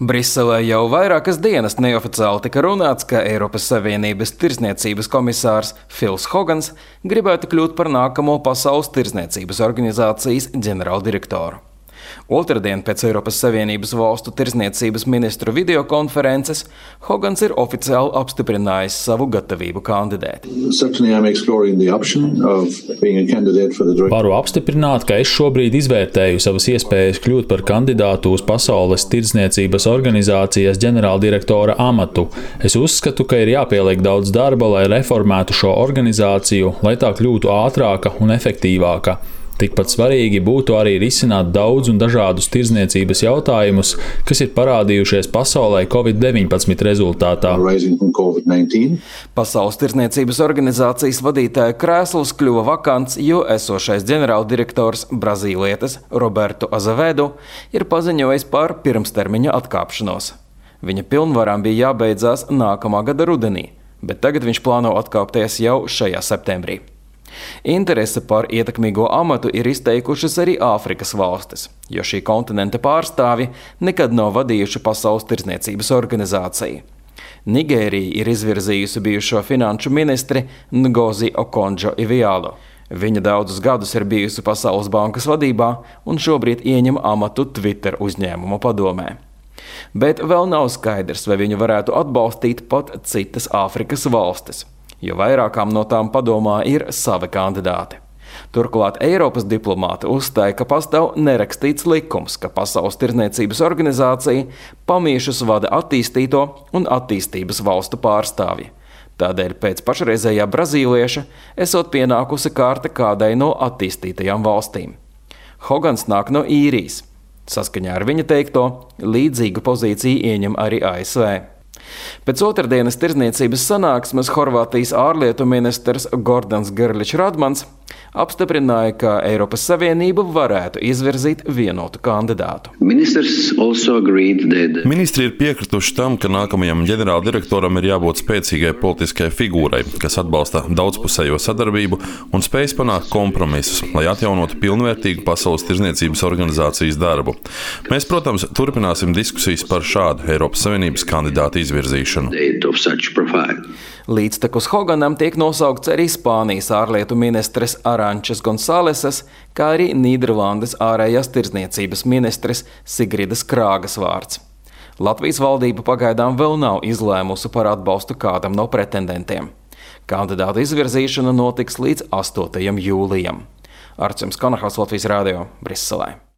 Briselē jau vairākas dienas neoficiāli tika runāts, ka Eiropas Savienības tirdzniecības komisārs Fils Hogans gribētu kļūt par nākamo Pasaules tirdzniecības organizācijas ģenerāldirektoru. Otradien pēc Eiropas Savienības valstu tirdzniecības ministru videokonferences Hogans ir oficiāli apstiprinājis savu gatavību kandidēt. Varu apstiprināt, ka es šobrīd izvērtēju savas iespējas kļūt par kandidātu uz Pasaules tirdzniecības organizācijas ģenerāldirektora amatu. Es uzskatu, ka ir jāpieliek daudz darba, lai reformētu šo organizāciju, lai tā kļūtu ātrāka un efektīvāka. Tikpat svarīgi būtu arī risināt daudz un dažādus tirdzniecības jautājumus, kas ir parādījušies pasaulē Covid-19 rezultātā. Pasaules tirdzniecības organizācijas vadītāja krēsls kļuva vakants, jo esošais ģenerāldirektors brazīlietis Roberto Azevedo ir paziņojis par pirmstermiņa atkāpšanos. Viņa pilnvarām bija jābeidzās nākamā gada rudenī, bet tagad viņš plāno atkāpties jau šajā septembrī. Interese par ietekmīgo amatu ir izteikušas arī Āfrikas valstis, jo šī kontinenta pārstāvji nekad nav vadījuši Pasaules tirdzniecības organizāciju. Nigērija ir izvirzījusi bijušo finanšu ministri Ngozi Okonjo-Iwealo. Viņa daudzus gadus ir bijusi Pasaules bankas vadībā un šobrīd ieņem amatu Twitter uzņēmuma padomē. Bet vēl nav skaidrs, vai viņu varētu atbalstīt pat citas Āfrikas valstis, jo vairākām no tām padomā ir savi kandidāti. Turklāt Eiropas diplomāti uzstāja, ka pastāv nerakstīts likums, ka Pasaules tirdzniecības organizācija pamiešus vada attīstīto un attīstības valstu pārstāvji. Tādēļ pēc pašreizējā brazīlieša esot pienākusi kārta kādai no attīstītajām valstīm. Hogans nāk no Īrijas. Saskaņā ar viņa teikto, līdzīgu pozīciju ieņem arī ASV. Pēc otrdienas tirdzniecības sanāksmes Horvātijas ārlietu ministrs Gordans Grlić Radmans apstiprināja, ka Eiropas Savienība varētu izvirzīt vienotu kandidātu. Ministri ir piekrituši tam, ka nākamajam ģenerāldirektoram ir jābūt spēcīgai politiskai figūrai, kas atbalsta daudzpusējo sadarbību un spējas panākt kompromisus, lai atjaunotu pilnvērtīgu Pasaules tirdzniecības organizācijas darbu. Mēs, protams, turpināsim diskusijas par šādu Eiropas Savienības kandidātu izvirzīšanu. Līdztekus Hoganam tiek nosaukts arī Spānijas ārlietu ministres Arančes Gonsalesas, kā arī Nīderlandes ārējās tirdzniecības ministres Sigridas Krāgas vārds. Latvijas valdība pagaidām vēl nav izlēmusi par atbalstu kādam no pretendentiem. Kandidātu izvirzīšana notiks līdz 8. jūlijam. Arčuns Kanahals, Latvijas radio, Briselē.